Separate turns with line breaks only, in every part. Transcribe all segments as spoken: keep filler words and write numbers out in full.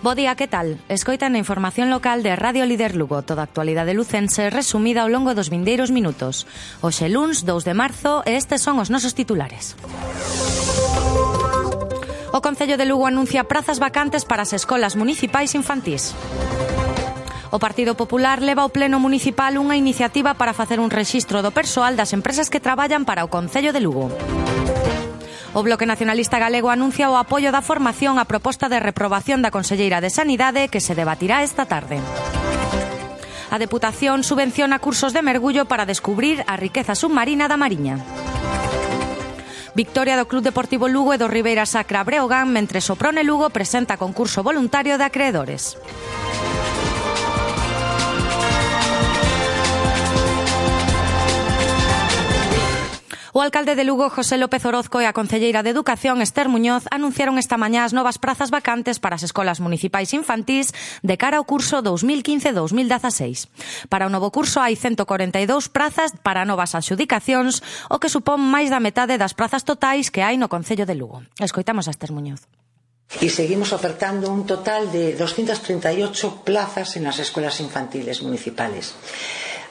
Bo día, que tal? Escoitan a información local de Radio Líder Lugo, toda a actualidade lucense resumida ao longo dos vindeiros minutos. Hoxe luns, dous de marzo, e estes son os nosos titulares. O Concello de Lugo anuncia prazas vacantes para as escolas municipais infantís. O Partido Popular leva ao Pleno Municipal unha iniciativa para facer un rexistro do persoal das empresas que traballan para o Concello de Lugo. O Bloque Nacionalista Galego anuncia o apoio da formación á proposta de reprobación da Conselleira de Sanidade que se debatirá esta tarde. A Deputación subvenciona cursos de mergullo para descubrir a riqueza submarina da Mariña. Victoria do Club Deportivo Lugo e do Ribeira Sacra Breogán, mentres o Prone Lugo presenta concurso voluntario de acreedores. O alcalde de Lugo, José López Orozco, e a concelleira de Educación, Esther Muñoz, anunciaron esta mañá as novas prazas vacantes para as escolas municipais infantís de cara ao curso dos mil quince dos mil dieciséis. Para o novo curso hai ciento corenta e dous prazas para novas adxudicacións, o que supón máis da metade das prazas totais que hai no Concello de Lugo. Escoitamos a Esther Muñoz.
Y seguimos ofertando un total de doscientas treinta y ocho plazas en las escuelas infantiles municipales.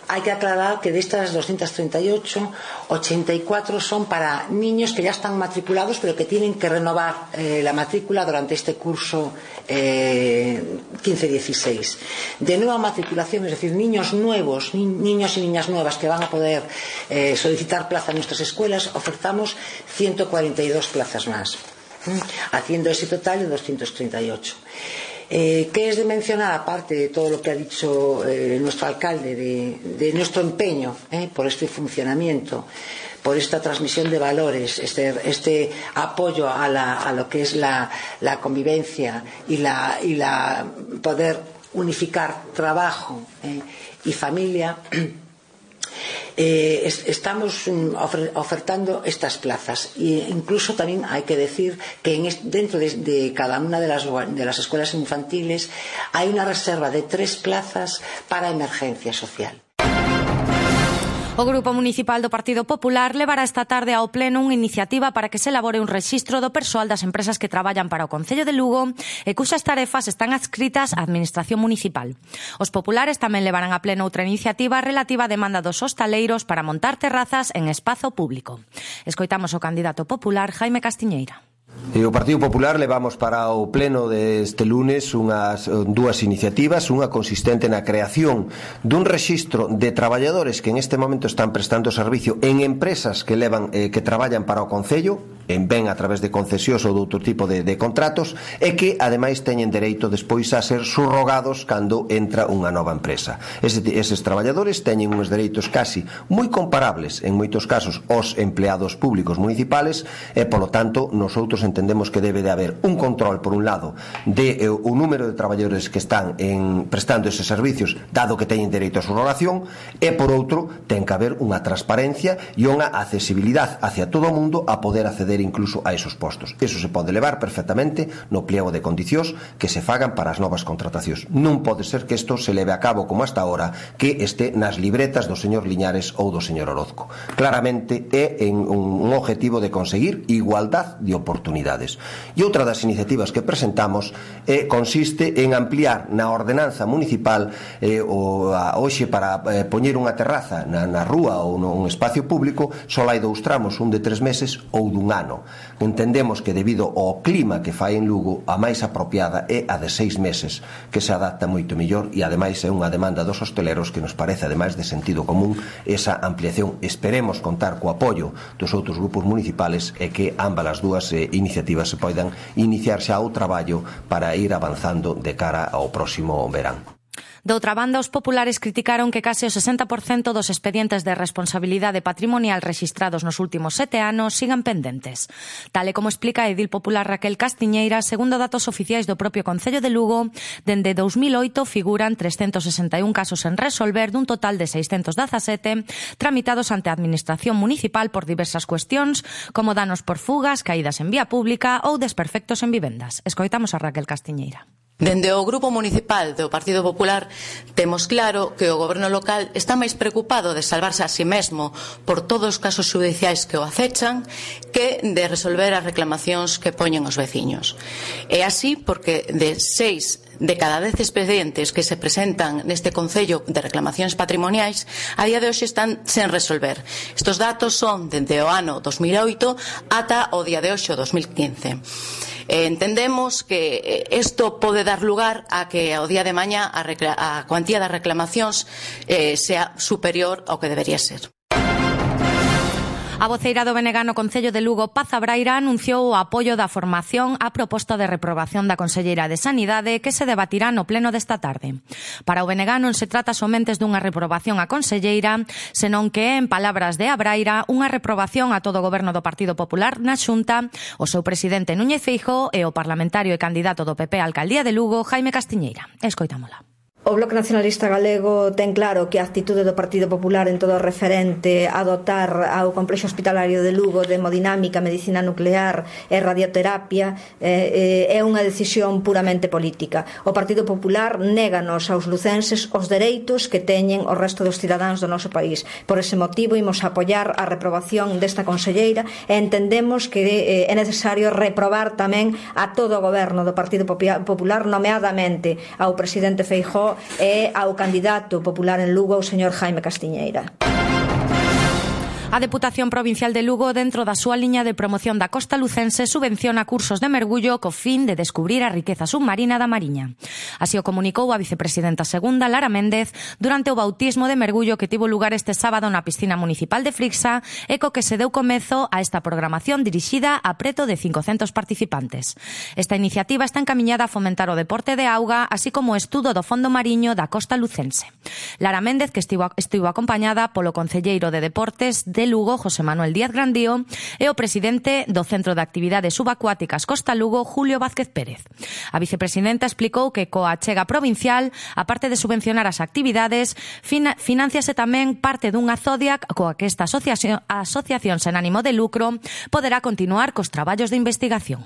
Hay que aclarar que de estas doscientas treinta y ocho, ochenta y cuatro son para niños que ya están matriculados pero que tienen que renovar eh, la matrícula durante este curso eh, quince dieciséis. De nueva matriculación, es decir, niños nuevos, ni, niños y niñas nuevas que van a poder eh, solicitar plaza en nuestras escuelas, ofertamos ciento cuarenta y dos plazas más, ¿eh? Haciendo ese total de doscientas treinta y ocho. Eh, ¿Qué es de mencionar, aparte de todo lo que ha dicho eh, nuestro alcalde, de, de nuestro empeño eh, por este funcionamiento, por esta transmisión de valores, este, este apoyo a, la, a lo que es la, la convivencia y la, y la poder unificar trabajo eh, y familia? Eh, es, estamos um, ofer, ofertando estas plazas e incluso también hay que decir que en est, dentro de, de cada una de las, de las escuelas infantiles hay una reserva de tres plazas para emergencia social.
O Grupo Municipal do Partido Popular levará esta tarde ao Pleno unha iniciativa para que se elabore un rexistro do persoal das empresas que traballan para o Concello de Lugo e cuxas tarefas están adscritas á Administración Municipal. Os populares tamén levarán a Pleno outra iniciativa relativa á demanda dos hostaleiros para montar terrazas en espazo público. Escoitamos o candidato popular Jaime Castiñeira.
E o Partido Popular levamos para o pleno deste lunes unhas dúas iniciativas, unha consistente na creación dun rexistro de traballadores que en este momento están prestando servicio en empresas que levan eh, que traballan para o Concello, en ben a través de concesións ou de outro tipo de, de contratos, e que ademais teñen dereito despois a ser subrogados cando entra unha nova empresa. Ese, eses traballadores teñen uns dereitos casi moi comparables en moitos casos aos empleados públicos municipales e, polo tanto, nosotros entendemos que debe de haber un control, por un lado, de eh, o número de traballadores que están en, prestando eses servicios, dado que teñen dereito a subrogación, e, por outro, ten que haber unha transparencia e unha accesibilidade hacia todo o mundo a poder acceder incluso a esos postos. Eso se pode levar perfectamente no pliego de condicións que se fagan para as novas contratacións. Non pode ser que isto se leve a cabo como hasta ahora, que este nas libretas do señor Liñares ou do señor Orozco. Claramente é en un, un objetivo de conseguir igualdad de oportunidades. E outra das iniciativas que presentamos eh, consiste en ampliar na ordenanza municipal eh, o, a, hoxe para eh, poñer unha terraza na, na rúa ou nun espacio público só hai dous tramos, un de tres meses ou dun ano. Entendemos que debido ao clima que fai en Lugo, a máis apropiada é a de seis meses, que se adapta moito mellor e ademais é unha demanda dos hosteleros que nos parece, ademais de sentido común, esa ampliación. Esperemos contar co apoio dos outros grupos municipales e que ambas as dúas eh, iniciativas se poidan iniciar xa o traballo para ir avanzando de cara ao próximo verán.
Doutra banda, os populares criticaron que case o sesenta por cento dos expedientes de responsabilidade patrimonial rexistrados nos últimos sete anos sigan pendentes. Tal e como explica a edil popular Raquel Castiñeira, segundo datos oficiais do propio Concello de Lugo, dende dous mil oito figuran trescentos sesenta e un casos en resolver dun total de seiscentos dezasete tramitados ante a Administración Municipal por diversas cuestións, como danos por fugas, caídas en vía pública ou desperfectos en vivendas. Escoitamos a Raquel Castiñeira.
Dende o Grupo Municipal do Partido Popular temos claro que o goberno local está máis preocupado de salvarse a si mesmo por todos os casos xudiciais que o acechan que de resolver as reclamacións que poñen os veciños. É así porque de seis de cada dez expedientes que se presentan neste Concello de reclamacións patrimoniais a día de hoxe están sen resolver. Estos datos son dende o ano dos mil oito ata o día de hoxe, o dos mil quince. Eh, entendemos que isto pode dar lugar a que ao día de mañá a, a cuantía das reclamacións eh, sea superior ao que debería ser.
A voceira do B N G no Concello de Lugo, Paz Abraira, anunciou o apoio da formación á proposta de reprobación da Conselleira de Sanidade que se debatirá no pleno desta tarde. Para o B N G non se trata somente dunha reprobación á Conselleira, senón que é, en palabras de Abraira, unha reprobación a todo o goberno do Partido Popular na Xunta, o seu presidente Núñez Feijóo e o parlamentario e candidato do P P á alcaldía de Lugo, Jaime Castiñeira. Escoitámola.
O Bloque Nacionalista Galego ten claro que a actitude do Partido Popular en todo o referente a dotar ao complexo hospitalario de Lugo de hemodinámica, medicina nuclear e radioterapia eh, é unha decisión puramente política. O Partido Popular néganos aos lucenses os dereitos que teñen o resto dos cidadáns do noso país. Por ese motivo imos apoiar a reprobación desta conselleira e entendemos que eh, é necesario reprobar tamén a todo o goberno do Partido Popular, nomeadamente ao presidente Feijóo e ao candidato popular en Lugo, o señor Jaime Castiñeira.
A Deputación Provincial de Lugo, dentro da súa liña de promoción da costa lucense, subvenciona cursos de mergullo co fin de descubrir a riqueza submarina da Mariña. Así o comunicou a vicepresidenta segunda, Lara Méndez, durante o bautismo de mergullo que tivo lugar este sábado na piscina municipal de Frixa e co que se deu comezo a esta programación dirixida a preto de cincocentos participantes. Esta iniciativa está encamiñada a fomentar o deporte de auga, así como o estudo do fondo mariño da costa lucense. Lara Méndez, que estivo, estivo acompañada polo concelleiro de Deportes de Lugo, José Manuel Díaz Grandío, e o presidente do Centro de Actividades Subacuáticas Costa Lugo, Julio Vázquez Pérez. A vicepresidenta explicou que coa achega provincial, aparte de subvencionar as actividades, fina, financiase tamén parte dunha Zodiac coa que esta asociación, asociación sen ánimo de lucro poderá continuar cos traballos de investigación.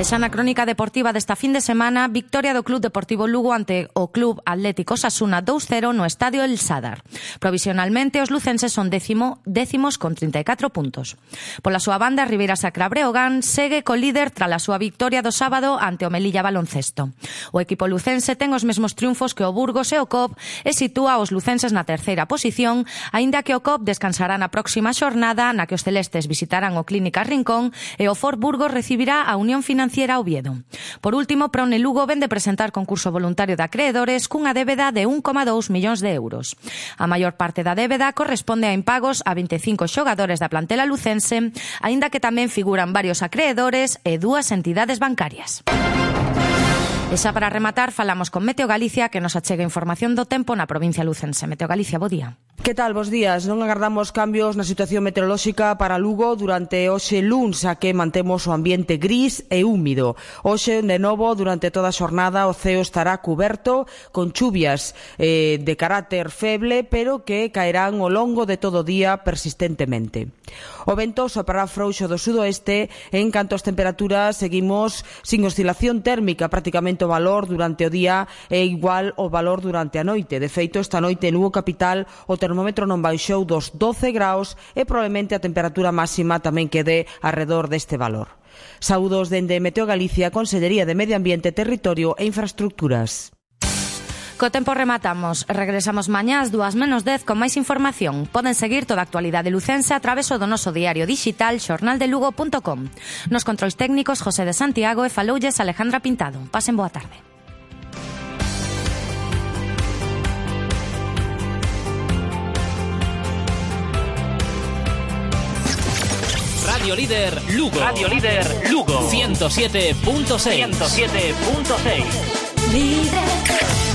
E xa na crónica deportiva desta fin de semana, victoria do Club Deportivo Lugo ante o Club Atlético Osasuna dous cero no Estadio El Sadar. Provisionalmente, os lucenses son décimo, décimos con trinta e catro puntos. Pola súa banda, Ribeira Sacra Breogán segue co líder tras a súa victoria do sábado ante o Melilla Baloncesto. O equipo lucense ten os mesmos triunfos que o Burgos e o C O P e sitúa os lucenses na terceira posición, aínda que o C O P descansará na próxima xornada na que os celestes visitarán o Clínica Rincón e o Ford Burgos recibirá a Unión Financiera Oviedo. Por último, Prone Lugo ven de presentar concurso voluntario de acreedores cunha débeda de un coma dous millóns de euros. A maior parte da débeda corresponde a impagos a veinticinco xogadores da plantela lucense, aínda que tamén figuran varios acreedores e dúas entidades bancarias. E xa para rematar, falamos con Meteo Galicia, que nos achega información do tempo na provincia lucense. Meteo Galicia, bo día.
Que tal, bos días? Non agardamos cambios na situación meteorolóxica para Lugo durante hoxe luns, a que mantemos o ambiente gris e húmido. Hoxe, de novo, durante toda a xornada, o ceo estará cuberto con chuvias eh, de carácter feble, pero que caerán ao longo de todo o día persistentemente. O vento soprará frouxo do sudoeste, en canto as temperaturas seguimos sin oscilación térmica, prácticamente o valor durante o día é igual ao valor durante a noite. De feito, esta noite en Lugo capital o termómetro non baixou dos doce graus e probablemente a temperatura máxima tamén quede arredor deste valor. Saúdos dende Meteo Galicia, Consellería de Medio Ambiente, Territorio e Infraestructuras.
Co tempo rematamos. Regresamos mañá ás dúas menos dez con máis información. Poden seguir toda a actualidade lucense a través do noso diario digital xornal de lugo punto com. Nos controis técnicos José de Santiago e faloulles Alejandra Pintado. Pasen boa tarde.
Radio Líder Lugo. Radio Líder Lugo. ciento siete punto seis. ciento siete punto seis. Líder.